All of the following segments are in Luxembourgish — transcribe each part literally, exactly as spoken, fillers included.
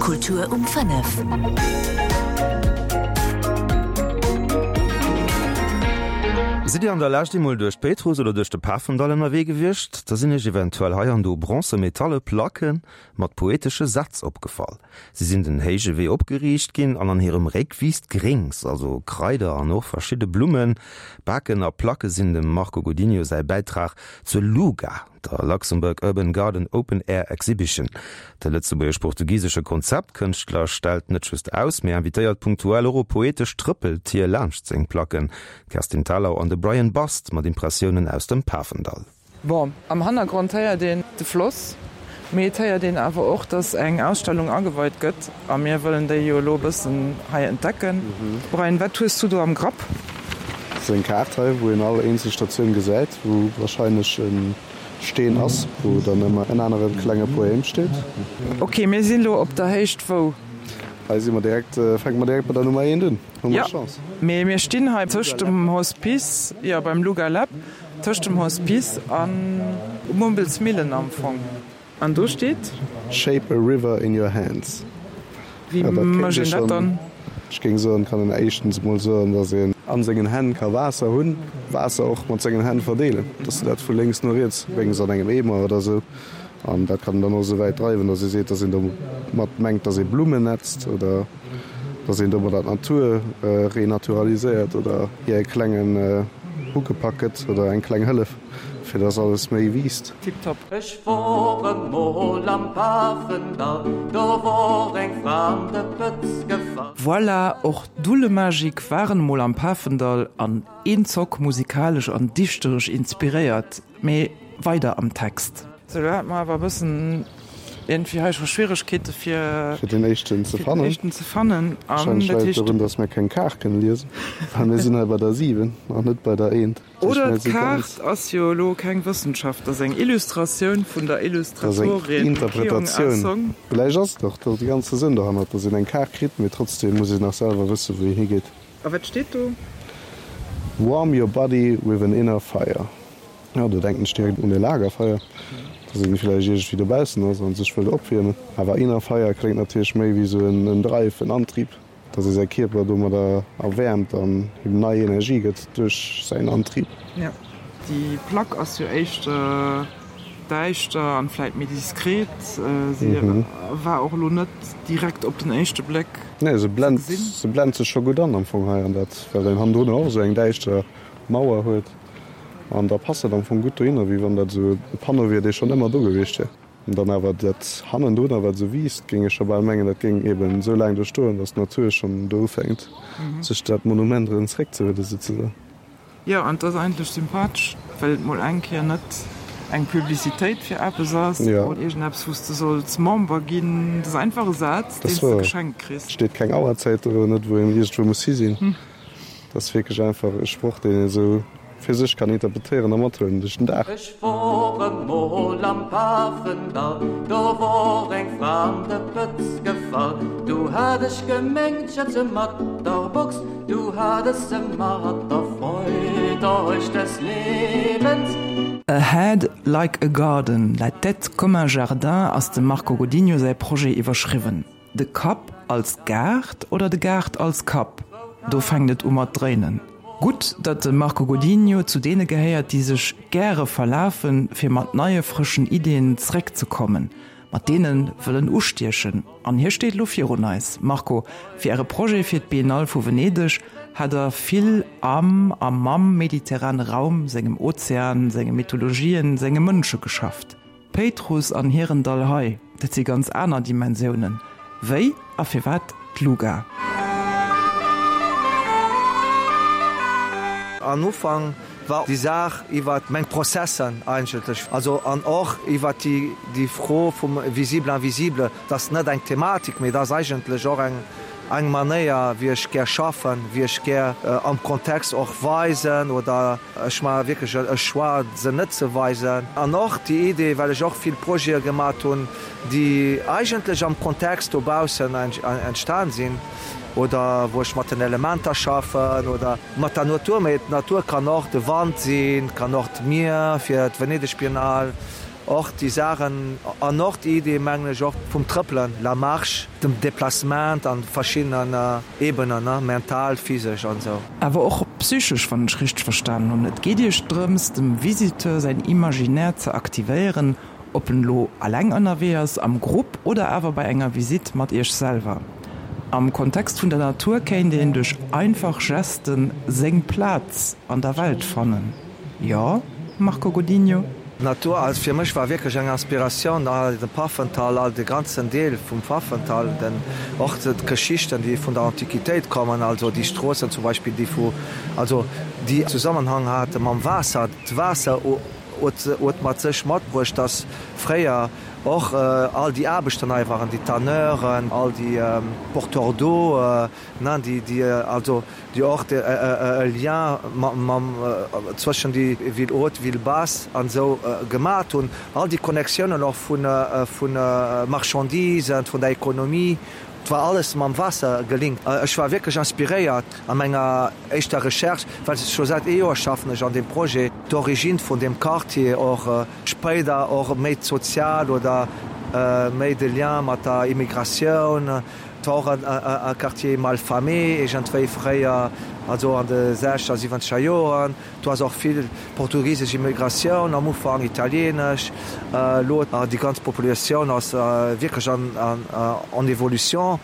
Kultur um fënnef. Sidd Dir an der Lescht eemol duerch d'Péitruss oder duerch de Pafendall ënnerwee gewiescht? Da sinn Iech eventuell hei an do bronze metalle Placke mat poetesche Sätz opgefall. Si sinn den héije Wee opgeriicht ginn an an hirem Réck wiisst Gréngs, also Kraider an och verschidde Blummen. Baken a Placke sinn dem Marco Godinho säi Bäitrag zur LUGA, der Luxembourg Urban Garden Open Air Exhibition. De lëtzebuergesch-portugisesche Konzeptkënschtler stellt net just aus, mee invitéiert punktuell och op poetesch Trëppeltier laanscht seng Placken. D'Kerstin Thalau an de Brian Bast mat Impressiounen aus dem Pafendall. Bon, am Hannergrond héiert een de Floss, mee et héiert een awer och, dass eng Ausstellung ageweit gëtt a mir wëllen déi jo elo e bëssen hei entdecken. Brian, wat hues du do am Grapp? Dat ass eng Kaart hei, wou een all eenzel Statioun gesäit, wou warscheinlech e Steen ass, wou dann ëmmer en anere klenge Poème steet. Ok, mir sinn elo op der Héicht wou? Hei si mer direkt, fänke mer direkt bei der Nummer eent un, hu mer Jo, Chance. mee mir stinn hei tëscht dem Hospice, jo beim Luga Lab, tëscht dem Hospice an Mumbelsmillen am Fong. An do steet? Shape a river in your hands. Wéi Ja, dat kéint mécht ee een dat schonn, dann? ech géing soen, kann een éischtens emol soen, dass een a sengen Hänn ka Waasser hunn, Waasser och mat sengen Hänn verdeelen, dass de dat vu lénks no riets bréngs an engem Eemer oder esou. An dat kann een dann och esou wäit dreiwen, dass ee seet, dass een domat mengt, dass ee Blummen netzt oder dass een domadder d'Natur renaturaliséiert oder hir e klengen Huckepack gëtt oder eng kleng Hëllef, fir dass alles méi wiisst. Tiptop. Ech wor emol am Pafendall, do wor eng Fra an de Pëtz gefall. Voilà, och d'Dullemagik waren emol am Pafendall an eenzock musikalesch an dichteresch inspiréiert. Mee weider am Text. Sou, lo hate mer awer e bëssen iergendwéi hei scho Schwieregkeete fir Fir den éischten ze fir den fannen. éischten ze fannen. An Wahrscheinlech dat läit et heescht. dorun, dass mir keng Kaart kënne liesen, well mir sinn hei bei der siwen an net bei der eent. Dat heescht, Oder mir si ganz. d'Kaart ass jo elo keng Wëssenschaft, dat ass eng Illustratioun vun der Dat ass eng Illustratorin Kyung Ah Interpretatioun. Song. Vläicht ass et och de ganze Sënn dohannert, dass een eng Kaart kritt, mee trotzdem muss een nach selwer wëssen, wou een higeet. A wat steet do? Warm your body with an inner fire. Jo, do denken ech direkt un e Lagerfeuer, dass een villäicht iergendwéi dobaussen ass an sech wëllt opwiermen. Awer inner fire kléngt natierlech méi wéi esou en Drive, en Antrieb, dass ee säi Kierper domadder erwäermt an him nei Energie gëtt duerch säin Antrieb. Jo, déi Plack ass jo éischter däischter an vläit méi diskret. Si war och elo net direkt op den éischte Bléck Nee, se ze blent, gesinn. se blent sech scho gutt an am Fong hei an dat, well een hannendrun och esou eng däischter Mauer huet. An da passt dat am Fong gutt dohinner, wéi wann dat esou e Panneau wier, dee schonn ëmmer do gewiescht wier. An dann awer dat hannendrunner, wat esou wiisst, géing ech scho bal mengen, dat géing eben esou laang do stoen, datt d'Natur schonn do ufänkt, sech dat Monument erëm zeréckzehuelen, souzesoen. Jo, an et ass eigentlech sympathesch, well et mol eng Kéier net eng Publicitéit fir eppes ass oder iergendeppes, wou s de solls Member ginn. Et ass einfach e Saz, deen s de geschenkt kriss. Et steet keng Auerzäit do, net wou een iergendwou muss hi sinn. Et ass wierklech einfach e Sproch, deen een esou fir sech kann interpretéieren a mathuelen duerch den Dag. Ech wor emol am Pafendall, do wor eng Fra an de Pëtz gefall. Du hat ech gemengt, ech hätt se mat der Box, du hat ech se mat der Freud euch des Lebens. A head like a garden, la tête comme un jardin ass dem Marco Godinho säi Projet iwwerschriwwen. De Kapp als Gaart oder de Gaart als Kapp? Do fänkt et u mat dréinen. Gutt, datt de Marco Godinho zu deene gehéiert, déi sech gäre verlafen, fir mat neie frëschen Iddien zeréckzekommen. Mat deene wëll en ustiechen. An hie steet elo virun eis. Marco, fir Äre Projet fir d'Biennale vu Venedeg hat Der vill am a mam mediterrane Raum, sengem Ozean, senge Mythologien, senge Mënsche geschafft. Péitruss an Hirendall hei, dat si ganz aner Dimensiounen. Wéi a firwat d'Luga? An Ufank war déi Saach iwwer meng Prozessen eigentlech, also an och iwwer déi, déi Fro vum Visible, Invisible, dat ass net eng Thematik, mee dat ass eigentlech och eng, eng Manéier, wéi ech gär schaffen, wéi ech gär am Kontext och weisen oder ech maache wierklech e Choix, se net ze weisen. An och déi Idee, well ech och vill Projete gemat hunn, déi eigentlech am Kontext dobaussen entstan sinn oder wou ech mat den Elementer schaffen oder mat der Natur. Mee d'Natur kann och de Wand sinn, kann och d'Mier fir d'Venedeg-Biennale. Och déi Saachen an och déi Idee, mengen ech, och vum Trëppelen, la marche, dem Déplacement an verschiddenen Ebenen, ne, mental, physesch an esou. Awer och psychesch, wann ech richteg verstanen hunn. Et geet Iech drëms, dem Visiteur säin Imaginaire ze aktivéieren, ob en elo alleng ënnerwee ass, am Grupp oder awer bei enger Visitt mat Iech selwer. Am Kontext vun der Natur kéint een duerch einfach Gesten seng Plaz an der Welt fannen. Jo, Marco Godinho? D'Natur also fir mech war wierklech eng Inspiratioun, all de Pafental, all de ganzen Deel vum Pfaffental, den och d'Geschichten déi vun der Antiquitéit kommen, also déi Stroossen zum Beispill déi vu also déi Zusammenhang hate mam Waasser. D'Waasser huet huet mat sech matbruecht, dass fréier och all déi Aarbechten hei waren, déi Tanneuren, all déi Porteurs d'eau, ne, déi déi also déi och e Lien mam zwëschen déi Ville haute, Ville basse an esou gemat hunn, all déi Connectiounen och vu vu Marchandisen, vun der Ekonomie, et war alles mam Waasser gelinkt. Ech war wierklech inspiréiert a menger éischter Recherche, well scho säit ee Joer schaffen ech an deem Projet, d'Origine vun deem Quartier och spéider och méi d'sozial oder méi de Lien mat der Immigratioun. Et war och e Quartier mal famé iergendwéi fréier, also an de sechzeger, siwwenzeger Joren. Do ass och vill portugisesch Immigratioun am Ufank, italienesch. Elo déi ganz Populatioun ass wierklech en évolution.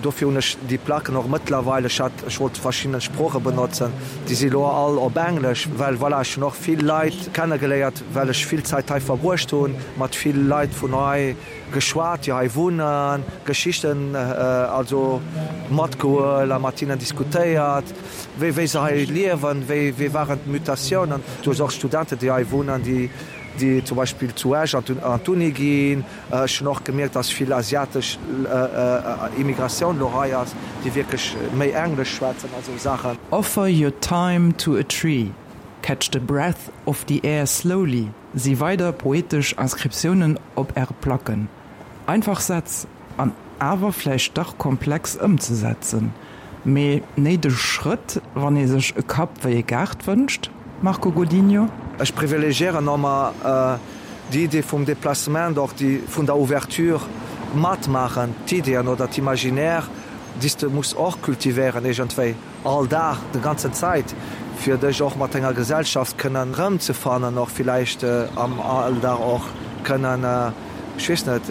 Dofir hunn ech déi Placken och mëttlerweil, ech hat, ech wollt verschidden Sprooche benotzen, déi si elo all op Englesch, well voilà, ech hunn och vill Leit kennegeléiert, well ech vill Zäit hei verbruecht hunn, mat vill Leit vun hei geschwat, déi hei wunnen, Geschichten also matgehuel a mat hinnen diskutéiert, wéi wéi se hei liewen, wéi wéi waren d'Mutatiounen. Du hues och Studenten, déi hei wunnen, déi déi zum Beispill zu Esch an d'Uni ginn. Ech hunn och gemierkt, dass vill asiatesch Immigratioun elo hei ass, déi wierklech méi Englesch schwätzen a sou Saachen. Offer your time to a tree, catch the breath of the air slowly si weider poetesch Inscriptiounen op Äre Placken. Einfach Sätz, an awer vläicht dach komplex ëmzesetzen, mee néideg Schrëtt, wann ee sech e Kapp wéi e Gaart wënscht, Marco Godinho? Ech privilegiéieren ëmmer déi Idee vum Déplacement, och déi vun der Ouverture, matmaachen, d'Ideeën oder d'Imaginaire, déi s de muss och kultivéieren iergendwéi. All Dag, de ganzen Zäit, fir dech och mat denger Gesellschaft kënnen erëmzefannen, och villäicht am Alldag och kënnen, ech weess net,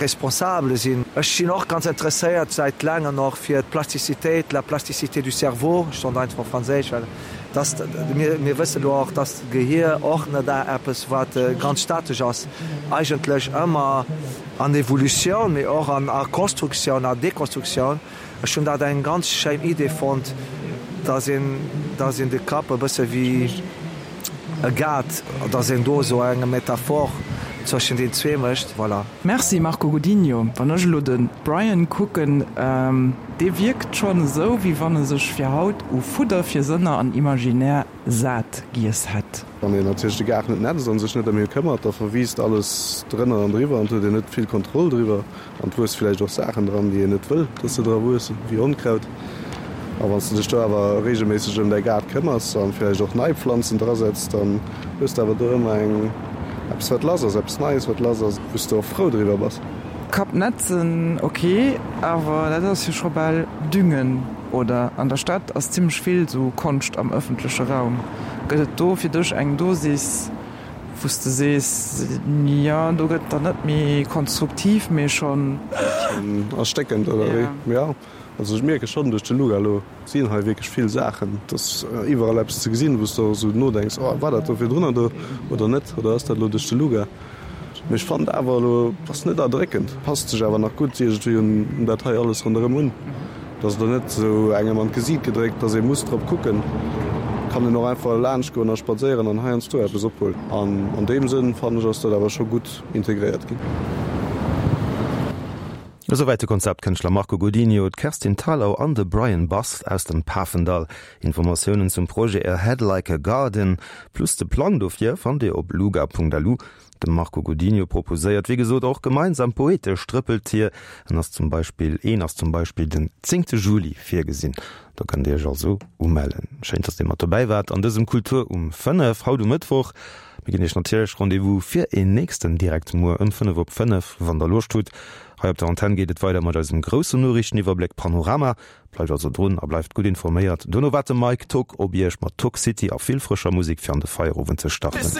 responsable sinn. Ech sinn och ganz interesséiert säit laangen och fir d'Plastizitéit, la plasticité du cerveau, ech soen einfach op Franséisch, well dass, mir, mir wëssen elo och, dass d'Gehier och net eppes wat ganz statesch ass, eigentlech ëmmer an Evolutioun, mee och an a Constructioun a Deconstructioun. Ech hunn dat eng ganz schéin Idee fonnt, dass een, dass een de Kapp e bësse wéi e Gaart, dass een do esou eng Metaphor zwëschen den zwee mécht. Voilà. Merci Marco Godinho. Wann ech elo de Brian kucken, dee wierkt schonn esou, wéi wann e sech fir haut u Fudder fir Sënner an Imaginaire sat giess hätt. Wann een natierlech de Gaart net netzt an sech net ëm hie këmmert, da verwiisst alles drënner an driwwer an et huet een net vill Kontroll driwwer an et wuesse villäicht och Saachen dran, déi een net wëll, dass se dra wuessen, wéi Onkraut. A wann s de dech do awer reegelméisseg ëm däi Gaart këmmers an villäicht och nei Pflanzen drasetz, dann hues de awer do ëmmer eng eppes wat lass ass, eppes Neies wat lass ass, wou s de och frou driwwer bass. Kapp netzen, ok, awer dat ass jo scho bal düngen, oder? An der Stad ass zimmlech vill sou Konscht am ëffentleche Raum. Gëtt et do fir dech eng Dosis, wou s de sees, jo, do gëtt dann net méi konstruktiv, mee schonn. Schonn erstéckend, oder wéi? Jo, also ech mierke schonn duerch de Luga elo sinn hei wierklech vill Saachen, et ass iwwerall eppes ze gesinn, wou s de och esou nodenks, oh war dat do virdrunner do oder net, oder ass dat elo duerch de Luga? Mee ech fannen awer elo ass net erdréckend, passt sech awer nach gutt iergendwéi un dat hei alles ronderëm un. Et ass elo net esou engem an d'Gesiit gedréckt, dass ee muss drop kucken. Kann een och einfach laanscht goen a spadséieren an heiansdo eppes ophuelen. An an deem Sënn fannen ech ass dat awer scho gutt integréiert ginn. Esouwäit de Konzeptkënschtler Marco Godinho, d'Kerstin Thalau an de Brian Bass aus dem Pafendall. Informatiounen zum Projet A Head Like a Garden plus de Plang dofir fannt Dir op luga.lu. De Marco Godinho proposéiert wéi gesot och gemeinsam poetesch Trëppeltier. En ass zum Beispill een ass zum Beispill den zéngte Juli virgesinn. Do kënnt Dir Iech also umellen. Schéin, dass Dir mat dobäi waart an dësem Kultur um fënnef haut um Mëttwoch. Mir ginn iech natierlech Rendez-vous fir een nächsten Direkt muer ëm fënnef op fënnef, wann der Loscht hutt. Hei op der Antenn geet et weider mat eisem groussen Noriichteniwwerbléck Panorama. Bleift also drun a bleift gutt informéiert. Dono waart de Mike Tock op iech mat Tock City a vill frëscher Musek fir an de Feierowend ze starten.